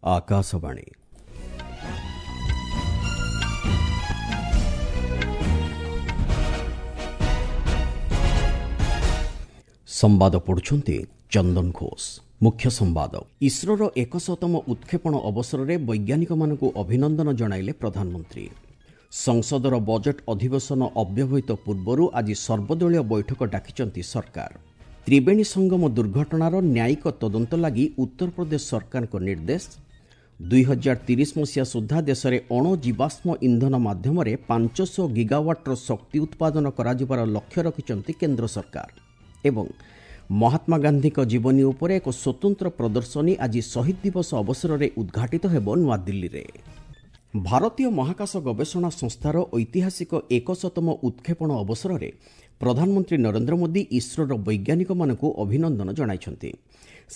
ଆକାଶବାଣୀ। ସମ୍ବାଦ ପଢୁଛନ୍ତି ଚନ୍ଦନ ଘୋଷ। ମୁଖ୍ୟ ସମ୍ବାଦ। ଇସ୍ରୋର 100ତମ ଉତ୍କ୍ଷେପଣ ଅବସରରେ ବୈଜ୍ଞାନିକମାନଙ୍କୁ ଅଭିନନ୍ଦନ ଜଣାଇଲେ ପ୍ରଧାନମନ୍ତ୍ରୀ। ସଂସଦର ବଜେଟ୍ ଅଧିବେଶନ ଅବ୍ୟବହିତ ପୂର୍ବରୁ ଆଜି ସର୍ବଦଳୀୟ ବୈଠକ ଡାକିଛନ୍ତି ସରକାର। ତ୍ରିବେଣୀ ସଙ୍ଗମ ଦୁର୍ଘଟଣାର ନ୍ୟାୟିକ ତଦନ୍ତ ଲାଗି ଉତ୍ତରପ୍ରଦେଶ ସରକାରଙ୍କ ନିର୍ଦ୍ଦେଶ। 2030 ମସିହା ସୁଦ୍ଧା ଦେଶରେ ଅଣଜୀବାଶ୍ମ ଇନ୍ଧନ ମାଧ୍ୟମରେ 500 ଗିଗାୱାଟ୍ର ଶକ୍ତି ଉତ୍ପାଦନ କରାଯିବାର ଲକ୍ଷ୍ୟ ରଖିଛନ୍ତି କେନ୍ଦ୍ର ସରକାର। ଏବଂ ମହାତ୍ମା ଗାନ୍ଧୀଙ୍କ ଜୀବନୀ ଉପରେ ଏକ ସ୍ୱତନ୍ତ୍ର ପ୍ରଦର୍ଶନୀ ଆଜି ଶହୀଦ ଦିବସ ଅବସରରେ ଉଦ୍ଘାଟିତ ହେବ ନୂଆଦିଲ୍ଲୀରେ। ଭାରତୀୟ ମହାକାଶ ଗବେଷଣା ସଂସ୍ଥାର ଐତିହାସିକ 100ତମ ଉତ୍କ୍ଷେପଣ ଅବସରରେ ପ୍ରଧାନମନ୍ତ୍ରୀ ନରେନ୍ଦ୍ର ମୋଦି ଇସ୍ରୋର ବୈଜ୍ଞାନିକମାନଙ୍କୁ ଅଭିନନ୍ଦନ ଜଣାଇଛନ୍ତି।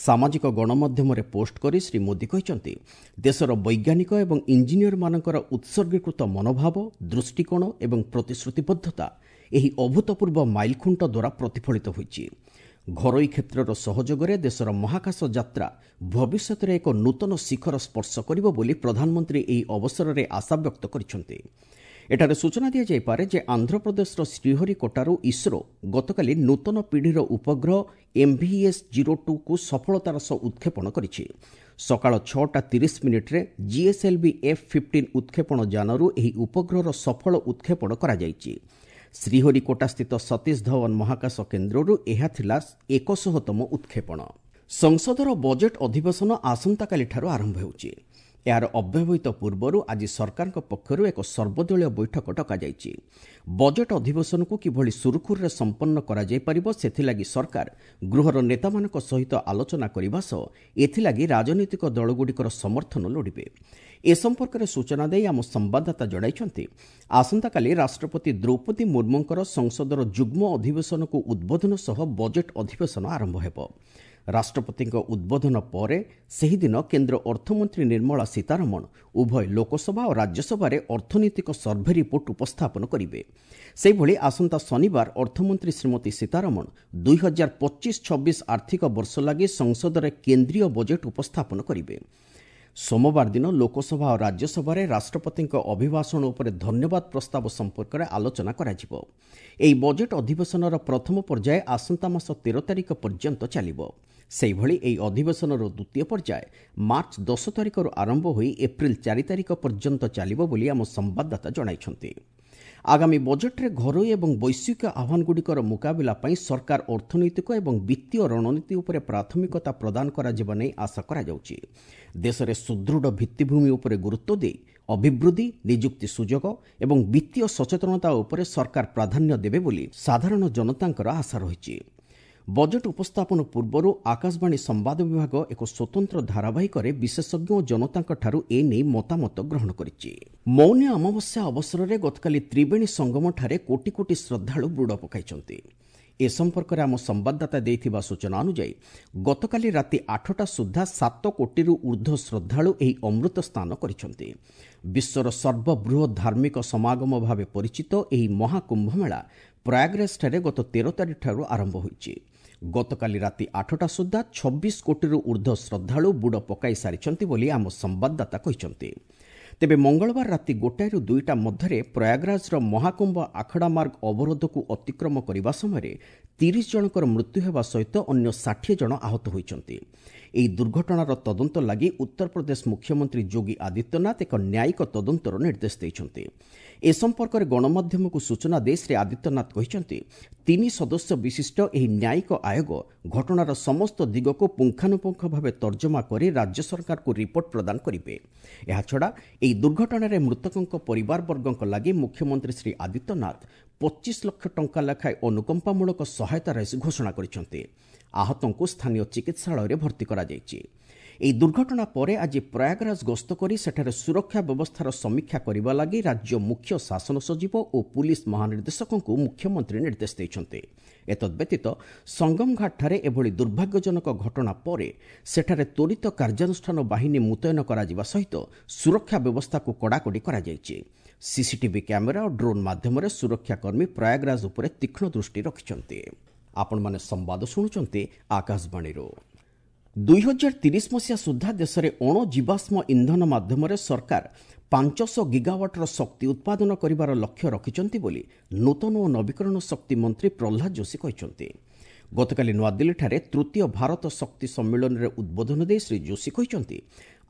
ସାମାଜିକ ଗଣମାଧ୍ୟମରେ ପୋଷ୍ଟ କରି ଶ୍ରୀ ମୋଦି କହିଛନ୍ତି, ଦେଶର ବୈଜ୍ଞାନିକ ଏବଂ ଇଞ୍ଜିନିୟରମାନଙ୍କର ଉତ୍ସର୍ଗୀକୃତ ମନୋଭାବ, ଦୃଷ୍ଟିକୋଣ ଏବଂ ପ୍ରତିଶ୍ରୁତିବଦ୍ଧତା ଏହି ଅଭୂତପୂର୍ବ ମାଇଲଖୁଣ୍ଟ ଦ୍ୱାରା ପ୍ରତିଫଳିତ ହୋଇଛି। ଘରୋଇ କ୍ଷେତ୍ରର ସହଯୋଗରେ ଦେଶର ମହାକାଶ ଯାତ୍ରା ଭବିଷ୍ୟତରେ ଏକ ନୂତନ ଶିଖର ସ୍ପର୍ଶ କରିବ ବୋଲି ପ୍ରଧାନମନ୍ତ୍ରୀ ଏହି ଅବସରରେ ଆଶାବ୍ୟକ୍ତ କରିଛନ୍ତି। ଏଠାରେ ସୂଚନା ଦିଆଯାଇପାରେ ଯେ ଆନ୍ଧ୍ରପ୍ରଦେଶର ଶ୍ରୀହରିକୋଟାରୁ ଇସ୍ରୋ ଗତକାଲି ନୂତନ ପିଢ଼ିର ଉପଗ୍ରହ ଏମ୍ଭିଏସ୍ 02କୁ ସଫଳତାର ସହ ଉତ୍କ୍ଷେପଣ କରିଛି। ସକାଳ 6ଟା 30 ମିନିଟ୍ରେ ଜିଏସ୍ଏଲ୍ଭି ଏଫ୍-15 ଉତ୍କ୍ଷେପଣ ଯାନରୁ ଏହି ଉପଗ୍ରହର ସଫଳ ଉତ୍କ୍ଷେପଣ କରାଯାଇଛି। ଶ୍ରୀହରିକୋଟାସ୍ଥିତ ସତୀଶ ଧୱନ ମହାକାଶ କେନ୍ଦ୍ରରୁ ଏହା ଥିଲା 100ତମ ଉତ୍କ୍ଷେପଣ। ସଂସଦର ବଜେଟ୍ ଅଧିବେଶନ ଆସନ୍ତାକାଲିଠାରୁ ଆରମ୍ଭ ହେଉଛି। ଏହାର ଅବ୍ୟବହିତ ପୂର୍ବରୁ ଆଜି ସରକାରଙ୍କ ପକ୍ଷରୁ ଏକ ସର୍ବଦଳୀୟ ବୈଠକ ଡକାଯାଇଛି। ବଜେଟ୍ ଅଧିବେଶନକୁ କିଭଳି ସୁରୁଖୁରୁରେ ସମ୍ପନ୍ନ କରାଯାଇପାରିବ, ସେଥିଲାଗି ସରକାର ଗୃହର ନେତାମାନଙ୍କ ସହିତ ଆଲୋଚନା କରିବା ସହ ଏଥିଲାଗି ରାଜନୈତିକ ଦଳଗୁଡ଼ିକର ସମର୍ଥନ ଲୋଡ଼ିବେ। ଏ ସମ୍ପର୍କରେ ସୂଚନା ଦେଇ ଆମ ସମ୍ବାଦଦାତା ଜଣାଇଛନ୍ତି, ଆସନ୍ତାକାଲି ରାଷ୍ଟ୍ରପତି ଦ୍ରୌପଦୀ ମୁର୍ମୁଙ୍କର ସଂସଦର ଯୁଗ୍ମ ଅଧିବେଶନକୁ ଉଦ୍ବୋଧନ ସହ ବଜେଟ୍ ଅଧିବେଶନ ଆରମ୍ଭ ହେବ। ରାଷ୍ଟ୍ରପତିଙ୍କ ଉଦ୍ବୋଧନ ପରେ ସେହିଦିନ କେନ୍ଦ୍ର ଅର୍ଥମନ୍ତ୍ରୀ ନିର୍ମଳା ସୀତାରମଣ ଉଭୟ ଲୋକସଭା ଓ ରାଜ୍ୟସଭାରେ ଅର୍ଥନୈତିକ ସର୍ଭେ ରିପୋର୍ଟ ଉପସ୍ଥାପନ କରିବେ। ସେହିଭଳି ଆସନ୍ତା ଶନିବାର ଅର୍ଥମନ୍ତ୍ରୀ ଶ୍ରୀମତୀ ସୀତାରମଣ 2025-26 ଆର୍ଥିକ ବର୍ଷ ଲାଗି ସଂସଦରେ କେନ୍ଦ୍ରୀୟ ବଜେଟ୍ ଉପସ୍ଥାପନ କରିବେ। ସୋମବାର ଦିନ ଲୋକସଭା ଓ ରାଜ୍ୟସଭାରେ ରାଷ୍ଟ୍ରପତିଙ୍କ ଅଭିଭାଷଣ ଉପରେ ଧନ୍ୟବାଦ ପ୍ରସ୍ତାବ ସମ୍ପର୍କରେ ଆଲୋଚନା କରାଯିବ। ଏହି ବଜେଟ୍ ଅଧିବେଶନର ପ୍ରଥମ ପର୍ଯ୍ୟାୟ ଆସନ୍ତା ମାସ 13 ତାରିଖ ପର୍ଯ୍ୟନ୍ତ ଚାଲିବ। ସେହିଭଳି ଏହି ଅଧିବେଶନର ଦ୍ୱିତୀୟ ପର୍ଯ୍ୟାୟ ମାର୍ଚ୍ଚ 10 ତାରିଖରୁ ଆରମ୍ଭ ହୋଇ ଏପ୍ରିଲ 4 ତାରିଖ ପର୍ଯ୍ୟନ୍ତ ଚାଲିବ ବୋଲି ଆମ ସମ୍ବାଦଦାତା ଜଣାଇଛନ୍ତି। ଆଗାମୀ ବଜେଟ୍ରେ ଘରୋଇ ଏବଂ ବୈଶ୍ୱିକ ଆହ୍ୱାନଗୁଡ଼ିକର ମୁକାବିଲା ପାଇଁ ସରକାର ଅର୍ଥନୈତିକ ଏବଂ ବିତ୍ତୀୟ ରଣନୀତି ଉପରେ ପ୍ରାଥମିକତା ପ୍ରଦାନ କରାଯିବା ନେଇ ଆଶା କରାଯାଉଛି। ଦେଶରେ ସୁଦୃଢ଼ ଭିତ୍ତିଭୂମି ଉପରେ ଗୁରୁତ୍ୱ ଦେଇ ଅଭିବୃଦ୍ଧି, ନିଯୁକ୍ତି ସୁଯୋଗ ଏବଂ ବିତ୍ତୀୟ ସଚେତନତା ଉପରେ ସରକାର ପ୍ରାଧାନ୍ୟ ଦେବେ ବୋଲି ସାଧାରଣ ଜନତାଙ୍କର ଆଶା ରହିଛି। ବଜେଟ୍ ଉପସ୍ଥାପନ ପୂର୍ବରୁ ଆକାଶବାଣୀ ସମ୍ବାଦ ବିଭାଗ ଏକ ସ୍ୱତନ୍ତ୍ର ଧାରାବାହିକରେ ବିଶେଷଜ୍ଞ ଓ ଜନତାଙ୍କଠାରୁ ଏ ନେଇ ମତାମତ ଗ୍ରହଣ କରିଛି। ମୌନୀ ଅମାବାସ୍ୟା ଅବସରରେ ଗତକାଲି ତ୍ରିବେଣୀ ସଙ୍ଗମଠାରେ କୋଟି କୋଟି ଶ୍ରଦ୍ଧାଳୁ ବୁଡ଼ ପକାଇଛନ୍ତି। ଏ ସମ୍ପର୍କରେ ଆମ ସମ୍ବାଦଦାତା ଦେଇଥିବା ସୂଚନା ଅନୁଯାୟୀ, ଗତକାଲି ରାତି 8ଟା ସୁଦ୍ଧା 7 କୋଟିରୁ ଉର୍ଦ୍ଧ୍ୱ ଶ୍ରଦ୍ଧାଳୁ ଏହି ଅମୃତ ସ୍ନାନ କରିଛନ୍ତି। ବିଶ୍ୱର ସର୍ବବୃହତ୍ ଧାର୍ମିକ ସମାଗମ ଭାବେ ପରିଚିତ ଏହି ମହାକୁମ୍ଭମେଳା ପ୍ରୟାଗରାଜଠାରେ ଗତ 13 ତାରିଖଠାରୁ ଆରମ୍ଭ ହୋଇଛି। ଗତକାଲି ରାତି 8ଟା ସୁଦ୍ଧା 26 କୋଟିରୁ ଉର୍ଦ୍ଧ୍ୱ ଶ୍ରଦ୍ଧାଳୁ ବୁଡ଼ ପକାଇ ସାରିଛନ୍ତି ବୋଲି ଆମ ସମ୍ବାଦଦାତା କହିଛନ୍ତି। ତେବେ ମଙ୍ଗଳବାର ରାତି 1ଟାରୁ 2ଟା ମଧ୍ୟରେ ପ୍ରୟାଗରାଜର ମହାକୁମ୍ଭ ଆଖଡ଼ା ମାର୍ଗ ଅବରୋଧକୁ ଅତିକ୍ରମ କରିବା ସମୟରେ 30 ଜଣଙ୍କର ମୃତ୍ୟୁ ହେବା ସହିତ ଅନ୍ୟ 60 ଜଣ ଆହତ ହୋଇଛନ୍ତି। ଏହି ଦୁର୍ଘଟଣାର ତଦନ୍ତ ଲାଗି ଉତ୍ତରପ୍ରଦେଶ ମୁଖ୍ୟମନ୍ତ୍ରୀ ଯୋଗୀ ଆଦିତ୍ୟନାଥ ଏକ ନ୍ୟାୟିକ ତଦନ୍ତର ନିର୍ଦ୍ଦେଶ ଦେଇଛନ୍ତି। ଏ ସମ୍ପର୍କରେ ଗଣମାଧ୍ୟମକୁ ସୂଚନା ଦେଇ ଶ୍ରୀ ଆଦିତ୍ୟନାଥ କହିଛନ୍ତି, ତିନି ସଦସ୍ୟ ବିଶିଷ୍ଟ ଏହି ନ୍ୟାୟିକ ଆୟୋଗ ଘଟଣାର ସମସ୍ତ ଦିଗକୁ ପୁଙ୍ଖାନୁପୁଙ୍ଖ ଭାବେ ତର୍ଜମା କରି ରାଜ୍ୟ ସରକାରଙ୍କୁ ରିପୋର୍ଟ ପ୍ରଦାନ କରିବେ। ଏହାଛଡ଼ା ଏହି ଦୁର୍ଘଟଣାରେ ମୃତକଙ୍କ ପରିବାରବର୍ଗଙ୍କ ଲାଗି ମୁଖ୍ୟମନ୍ତ୍ରୀ ଶ୍ରୀ ଆଦିତ୍ୟନାଥ 25 ଲକ୍ଷ ଟଙ୍କା ଲେଖାଏଁ ଅନୁକମ୍ପାମୂଳକ ସହାୟତା ରାଶି ଘୋଷଣା କରିଛନ୍ତି। ଆହତଙ୍କୁ ସ୍ଥାନୀୟ ଚିକିତ୍ସାଳୟରେ ଭର୍ତ୍ତି କରାଯାଇଛି। ଏହି ଦୁର୍ଘଟଣା ପରେ ଆଜି ପ୍ରୟାଗରାଜ ଗସ୍ତ କରି ସେଠାରେ ସୁରକ୍ଷା ବ୍ୟବସ୍ଥାର ସମୀକ୍ଷା କରିବା ଲାଗି ରାଜ୍ୟ ମୁଖ୍ୟ ଶାସନ ସଚିବ ଓ ପୁଲିସ୍ ମହାନିର୍ଦ୍ଦେଶକଙ୍କୁ ମୁଖ୍ୟମନ୍ତ୍ରୀ ନିର୍ଦ୍ଦେଶ ଦେଇଛନ୍ତି। ଏତଦ୍ବ୍ୟତୀତ ସଙ୍ଗମଘାଟଠାରେ ଏଭଳି ଦୁର୍ଭାଗ୍ୟଜନକ ଘଟଣା ପରେ ସେଠାରେ ତ୍ୱରିତ କାର୍ଯ୍ୟାନୁଷ୍ଠାନ ବାହିନୀ ମୁତୟନ କରାଯିବା ସହିତ ସୁରକ୍ଷା ବ୍ୟବସ୍ଥାକୁ କଡ଼ାକଡ଼ି କରାଯାଇଛି। ସିସିଟିଭି କ୍ୟାମେରା ଓ ଡ୍ରୋନ୍ ମାଧ୍ୟମରେ ସୁରକ୍ଷାକର୍ମୀ ପ୍ରୟାଗରାଜ ଉପରେ ତୀକ୍ଷ୍ଣ ଦୃଷ୍ଟି ରଖିଛନ୍ତି। ଆପଣମାନେ ସମ୍ବାଦ ଶୁଣୁଛନ୍ତି ଆକାଶବାଣୀରୁ। 2030 ମସିହା ସୁଦ୍ଧା ଦେଶରେ ଅଣଜୀବାଶ୍ମ ଇନ୍ଧନ ମାଧ୍ୟମରେ ସରକାର 500 ଗିଗାୱାଟ୍ର ଶକ୍ତି ଉତ୍ପାଦନ କରିବାର ଲକ୍ଷ୍ୟ ରଖିଛନ୍ତି ବୋଲି ନୂତନ ଓ ନବୀକରଣ ଶକ୍ତି ମନ୍ତ୍ରୀ ପ୍ରହ୍ଲାଦ ଯୋଶୀ କହିଛନ୍ତି। ଗତକାଲି ନୂଆଦିଲ୍ଲୀଠାରେ ତୃତୀୟ ଭାରତ ଶକ୍ତି ସମ୍ମିଳନୀରେ ଉଦ୍ବୋଧନ ଦେଇ ଶ୍ରୀ ଯୋଶୀ କହିଛନ୍ତି,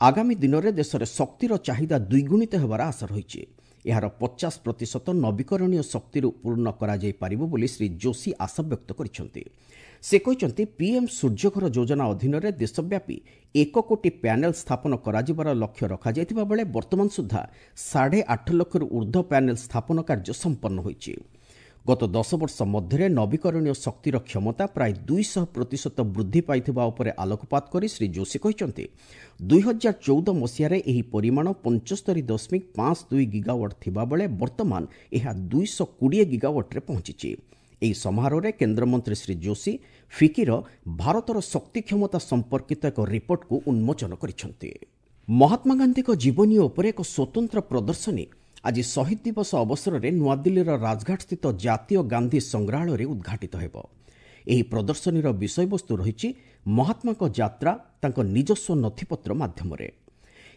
ଆଗାମୀ ଦିନରେ ଦେଶରେ ଶକ୍ତିର ଚାହିଦା ଦ୍ୱିଗୁଣିତ ହେବାର ଆଶା ରହିଛି। ଏହାର 50% ନବୀକରଣୀୟ ଶକ୍ତିରୁ ପୂର୍ଣ୍ଣ କରାଯାଇପାରିବ ବୋଲି ଶ୍ରୀ ଯୋଶୀ ଆଶାବ୍ୟକ୍ତ କରିଛନ୍ତି। ସେ କହିଛନ୍ତି, ପିଏମ୍ ସୂର୍ଯ୍ୟଘର ଯୋଜନା ଅଧୀନରେ ଦେଶବ୍ୟାପୀ 1 କୋଟି ପ୍ୟାନେଲ୍ ସ୍ଥାପନ କରାଯିବାର ଲକ୍ଷ୍ୟ ରଖାଯାଇଥିବା ବେଳେ ବର୍ତ୍ତମାନ ସୁଦ୍ଧା 8.5 ଲକ୍ଷରୁ ଉର୍ଦ୍ଧ୍ୱ ପ୍ୟାନେଲ୍ ସ୍ଥାପନ କାର୍ଯ୍ୟ ସମ୍ପନ୍ନ ହୋଇଛି। ଗତ 10 ବର୍ଷ ମଧ୍ୟରେ ନବୀକରଣୀୟ ଶକ୍ତିର କ୍ଷମତା ପ୍ରାୟ 200% ବୃଦ୍ଧି ପାଇଥିବା ଉପରେ ଆଲୋକପାତ କରି ଶ୍ରୀ ଯୋଶୀ କହିଛନ୍ତି, 2014 ମସିହାରେ ଏହି ପରିମାଣ 75.52 ଗିଗାୱାଟ୍ ଥିବାବେଳେ ବର୍ତ୍ତମାନ ଏହା 220 ଗିଗାୱାଟ୍ରେ ପହଞ୍ଚିଛି। ଏହି ସମାରୋହରେ କେନ୍ଦ୍ରମନ୍ତ୍ରୀ ଶ୍ରୀ ଯୋଶୀ ଫିକିର ଭାରତର ଶକ୍ତି କ୍ଷମତା ସମ୍ପର୍କିତ ଏକ ରିପୋର୍ଟକୁ ଉନ୍ମୋଚନ କରିଛନ୍ତି। ମହାତ୍ମା ଗାନ୍ଧୀଙ୍କ ଜୀବନୀ ଉପରେ ଏକ ସ୍ୱତନ୍ତ୍ର ପ୍ରଦର୍ଶନୀ ଆଜି ଶହୀଦ ଦିବସ ଅବସରରେ ନୂଆଦିଲ୍ଲୀର ରାଜଘାଟସ୍ଥିତ ଜାତୀୟ ଗାନ୍ଧୀ ସଂଗ୍ରହାଳୟରେ ଉଦ୍ଘାଟିତ ହେବ। ଏହି ପ୍ରଦର୍ଶନୀର ବିଷୟବସ୍ତୁ ରହିଛି ମହାତ୍ମାଙ୍କ ଯାତ୍ରା ତାଙ୍କ ନିଜସ୍ୱ ନଥିପତ୍ର ମାଧ୍ୟମରେ।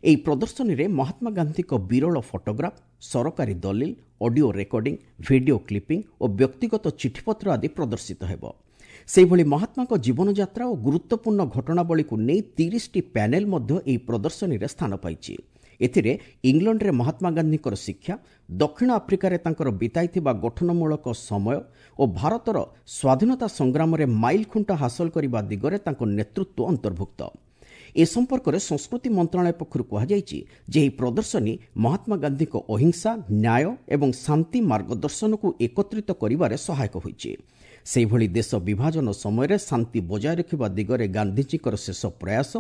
ଏହି ପ୍ରଦର୍ଶନୀରେ ମହାତ୍ମା ଗାନ୍ଧୀଙ୍କ ବିରଳ ଫଟୋଗ୍ରାଫ, ସରକାରୀ ଦଲିଲ, ଅଡିଓ ରେକର୍ଡିଂ, ଭିଡିଓ କ୍ଲିପିଂ ଓ ବ୍ୟକ୍ତିଗତ ଚିଠିପତ୍ର ଆଦି ପ୍ରଦର୍ଶିତ ହେବ। ସେହିଭଳି ମହାତ୍ମାଙ୍କ ଜୀବନଯାତ୍ରା ଓ ଗୁରୁତ୍ୱପୂର୍ଣ୍ଣ ଘଟଣାବଳୀକୁ ନେଇ 30ଟି ପ୍ୟାନେଲ୍ ମଧ୍ୟ ଏହି ପ୍ରଦର୍ଶନୀରେ ସ୍ଥାନ ପାଇଛି। ଏଥିରେ ଇଂଲଣ୍ଡରେ ମହାତ୍ମା ଗାନ୍ଧୀଙ୍କର ଶିକ୍ଷା, ଦକ୍ଷିଣ ଆଫ୍ରିକାରେ ତାଙ୍କର ବିତାଇଥିବା ଗଠନମୂଳକ ସମୟ ଓ ଭାରତର ସ୍ୱାଧୀନତା ସଂଗ୍ରାମରେ ମାଇଲଖୁଣ୍ଟ ହାସଲ କରିବା ଦିଗରେ ତାଙ୍କ ନେତୃତ୍ୱ ଅନ୍ତର୍ଭୁକ୍ତ। ଏ ସମ୍ପର୍କରେ ସଂସ୍କୃତି ମନ୍ତ୍ରଣାଳୟ ପକ୍ଷରୁ କୁହାଯାଇଛି ଯେ ଏହି ପ୍ରଦର୍ଶନୀ ମହାତ୍ମା ଗାନ୍ଧୀଙ୍କ ଅହିଂସା, ନ୍ୟାୟ ଏବଂ ଶାନ୍ତି ମାର୍ଗଦର୍ଶନକୁ ଏକତ୍ରିତ କରିବାରେ ସହାୟକ ହୋଇଛି। ସେହିଭଳି ଦେଶ ବିଭାଜନ ସମୟରେ ଶାନ୍ତି ବଜାୟ ରଖିବା ଦିଗରେ ଗାନ୍ଧିଜୀଙ୍କର ଶେଷ ପ୍ରୟାସ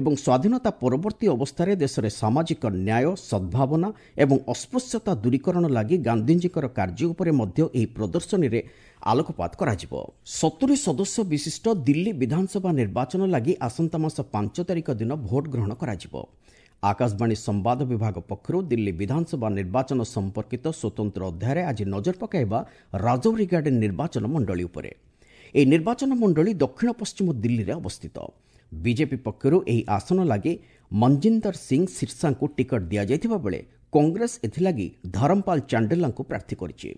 ଏବଂ ସ୍ୱାଧୀନତା ପରବର୍ତ୍ତୀ ଅବସ୍ଥାରେ ଦେଶରେ ସାମାଜିକ ନ୍ୟାୟ, ସଦ୍ଭାବନା ଏବଂ ଅସ୍ପୃଶ୍ୟତା ଦୂରୀକରଣ ଲାଗି ଗାନ୍ଧିଜୀଙ୍କର କାର୍ଯ୍ୟ ଉପରେ ମଧ୍ୟ ଏହି ପ୍ରଦର୍ଶନୀରେ ଆଲୋକପାତ କରାଯିବ। 70 ସଦସ୍ୟ ବିଶିଷ୍ଟ ଦିଲ୍ଲୀ ବିଧାନସଭା ନିର୍ବାଚନ ଲାଗି ଆସନ୍ତା ମାସ 5 ତାରିଖ ଦିନ ଭୋଟ ଗ୍ରହଣ କରାଯିବ। ଆକାଶବାଣୀ ସମ୍ବାଦ ବିଭାଗ ପକ୍ଷରୁ ଦିଲ୍ଲୀ ବିଧାନସଭା ନିର୍ବାଚନ ସମ୍ପର୍କିତ ସ୍ୱତନ୍ତ୍ର ଅଧ୍ୟାୟରେ ଆଜି ନଜର ପକାଇବା ରାଜୌରୀ ଗାର୍ଡେନ୍ ନିର୍ବାଚନ ମଣ୍ଡଳୀ ଉପରେ। ଏହି ନିର୍ବାଚନ ମଣ୍ଡଳୀ ଦକ୍ଷିଣ ପଶ୍ଚିମ ଦିଲ୍ଲୀରେ ଅବସ୍ଥିତ। ବିଜେପି ପକ୍ଷରୁ ଏହି ଆସନ ଲାଗି ମଞ୍ଜିନ୍ଦର ସିଂ ସିର୍ସାଙ୍କୁ ଟିକଟ ଦିଆଯାଇଥିବା ବେଳେ କଂଗ୍ରେସ ଏଥିଲାଗି ଧରମପାଲ ଚାଣ୍ଡେଲାଙ୍କୁ ପ୍ରାର୍ଥୀ କରିଛି।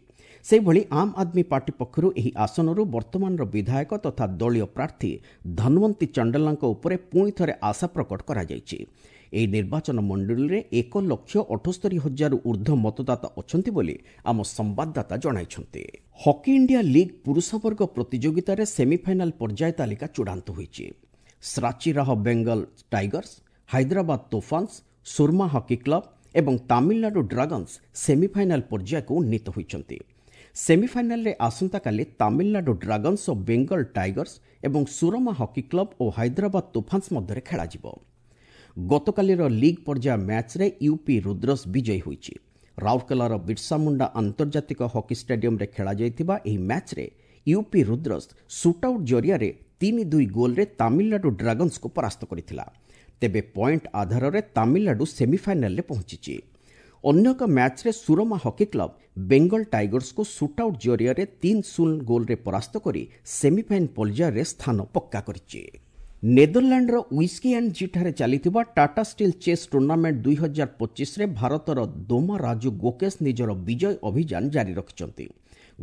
ସେହିଭଳି ଆମ୍ ଆଦମୀ ପାର୍ଟି ପକ୍ଷରୁ ଏହି ଆସନରୁ ବର୍ତ୍ତମାନର ବିଧାୟକ ତଥା ଦଳୀୟ ପ୍ରାର୍ଥୀ ଧନୱନ୍ତୀ ଚଣ୍ଡେଲାଙ୍କ ଉପରେ ପୁଣି ଥରେ ଆଶା ପ୍ରକଟ କରାଯାଇଛି। ଏହି ନିର୍ବାଚନ ମଣ୍ଡଳୀରେ 1,78,000 ଉର୍ଦ୍ଧ୍ୱ ମତଦାତା ଅଛନ୍ତି ବୋଲି ଆମ ସମ୍ବାଦଦାତା ଜଣାଇଛନ୍ତି। ହକି ଇଣ୍ଡିଆ ଲିଗ୍ ପୁରୁଷ ବର୍ଗ ପ୍ରତିଯୋଗିତାରେ ସେମିଫାଇନାଲ ପର୍ଯ୍ୟାୟ ତାଲିକା ଚୂଡ଼ାନ୍ତ ହୋଇଛି। Shrachi Rarh Bengal Tigers, Hyderabad Toofans, Soorma hockey club ଏବଂ ତାମିଲନାଡୁ ଡ୍ରାଗନ୍ସ ସେମିଫାଇନାଲ ପର୍ଯ୍ୟାୟକୁ ଉନ୍ନୀତ ହୋଇଛନ୍ତି। ସେମିଫାଇନାଲରେ ଆସନ୍ତାକାଲି ତାମିଲନାଡୁ ଡ୍ରାଗନ୍ସ ଓ ବେଙ୍ଗଲ ଟାଇଗର୍ସ ଏବଂ ସୁରମା ହକି କ୍ଲବ ଓ ହାଇଦ୍ରାବାଦ ତୋଫାନ୍ସ ମଧ୍ୟରେ ଖେଳାଯିବ। ଗତକାଲିର ଲିଗ୍ ପର୍ଯ୍ୟାୟ ମ୍ୟାଚ୍ରେ ୟୁପି ରୁଦ୍ରସ୍ ବିଜୟୀ ହୋଇଛି। ରାଉରକେଲାର ବିର୍ସାମୁଣ୍ଡା ଆନ୍ତର୍ଜାତିକ ହକି ଷ୍ଟାଡିୟମରେ ଖେଳାଯାଇଥିବା ଏହି ମ୍ୟାଚ୍ରେ ୟୁପି ରୁଦ୍ରସ୍ ସୁଟ୍ଆଉଟ୍ ଜରିଆରେ 3-2 ଗୋଲ୍ରେ ତାମିଲନାଡୁ ଡ୍ରାଗନ୍ସକୁ ପରାସ୍ତ କରିଥିଲା। ତେବେ ପଏଣ୍ଟ ଆଧାରରେ ତାମିଲନାଡୁ ସେମିଫାଇନାଲରେ ପହଞ୍ଚିଛି। ଅନ୍ୟ ଏକ ମ୍ୟାଚ୍ରେ ସୁରମା ହକି କ୍ଲବ ବେଙ୍ଗଲ ଟାଇଗର୍ସକୁ ସୁଟ୍ଆଉଟ୍ ଜରିଆରେ 3-0 ଗୋଲ୍ରେ ପରାସ୍ତ କରି ସେମିଫାଇନାଲ ପର୍ଯ୍ୟାୟରେ ସ୍ଥାନ ପକ୍କା କରିଛି। ନେଦରଲ୍ୟାଣ୍ଡର ୱିସ୍କି ଆଣ୍ଡ ଜିଠାରେ ଚାଲିଥିବା ଟାଟା ଷ୍ଟିଲ୍ ଚେସ୍ ଟୁର୍ଣ୍ଣାମେଣ୍ଟ 2025ରେ ଭାରତର ଦୋମା ରାଜୁ ଗୋକେଶ ନିଜର ବିଜୟ ଅଭିଯାନ ଜାରି ରଖିଛନ୍ତି।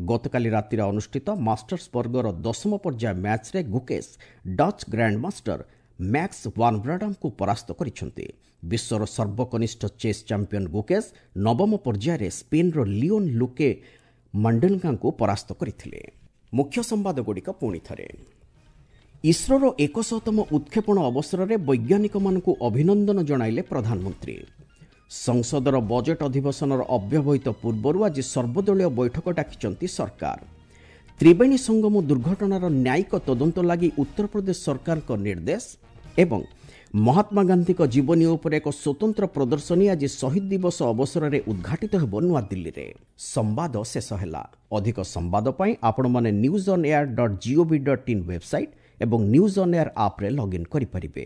ଗତକାଲି ରାତିରେ ଅନୁଷ୍ଠିତ ମାଷ୍ଟର୍ସ ବର୍ଗର 10ମ ପର୍ଯ୍ୟାୟ ମ୍ୟାଚ୍ରେ ଗୁକେଶ ଡଚ୍ ଗ୍ରାଣ୍ଡମାଷ୍ଟର ମ୍ୟାକ୍ସ ୱାନବ୍ରାଡାମଙ୍କୁ ପରାସ୍ତ କରିଛନ୍ତି। ବିଶ୍ୱର ସର୍ବକନିଷ୍ଠ ଚେସ୍ ଚାମ୍ପିୟନ ଗୁକେଶ 9ମ ପର୍ଯ୍ୟାୟରେ ସ୍ପେନ୍ର ଲିଓନ୍ ଲୁକେ ମଣ୍ଡେଲଙ୍କାଙ୍କୁ ପରାସ୍ତ କରିଥିଲେ। ମୁଖ୍ୟ ସମ୍ବାଦଗୁଡ଼ିକ ପୁଣି ଥରେ। ଇସ୍ରୋର 100ତମ ଉତ୍କ୍ଷେପଣ ଅବସରରେ ବୈଜ୍ଞାନିକମାନଙ୍କୁ ଅଭିନନ୍ଦନ ଜଣାଇଲେ ପ୍ରଧାନମନ୍ତ୍ରୀ। ସଂସଦର ବଜେଟ୍ ଅଧିବେଶନର ଅବ୍ୟବହିତ ପୂର୍ବରୁ ଆଜି ସର୍ବଦଳୀୟ ବୈଠକ ଡାକିଛନ୍ତି ସରକାର। ତ୍ରିବେଣୀ ସଙ୍ଗମ ଦୁର୍ଘଟଣାର ନ୍ୟାୟିକ ତଦନ୍ତ ଲାଗି ଉତ୍ତରପ୍ରଦେଶ ସରକାରଙ୍କ ନିର୍ଦ୍ଦେଶ ଏବଂ ମହାତ୍ମା ଗାନ୍ଧୀଙ୍କ ଜୀବନୀ ଉପରେ ଏକ ସ୍ୱତନ୍ତ୍ର ପ୍ରଦର୍ଶନୀ ଆଜି ଶହୀଦ ଦିବସ ଅବସରରେ ଉଦ୍ଘାଟିତ ହେବ ନୂଆଦିଲ୍ଲୀରେ। ସମ୍ବାଦ ଶେଷ ହେଲା। ଅଧିକ ସମ୍ବାଦ ପାଇଁ ଆପଣମାନେ newsonair.gov.in website ଏବଂ ନ୍ୟୁଜ୍ ଅନ୍ ଏୟାର ଆପ୍ରେ ଲଗ୍ଇନ୍ କରିପାରିବେ।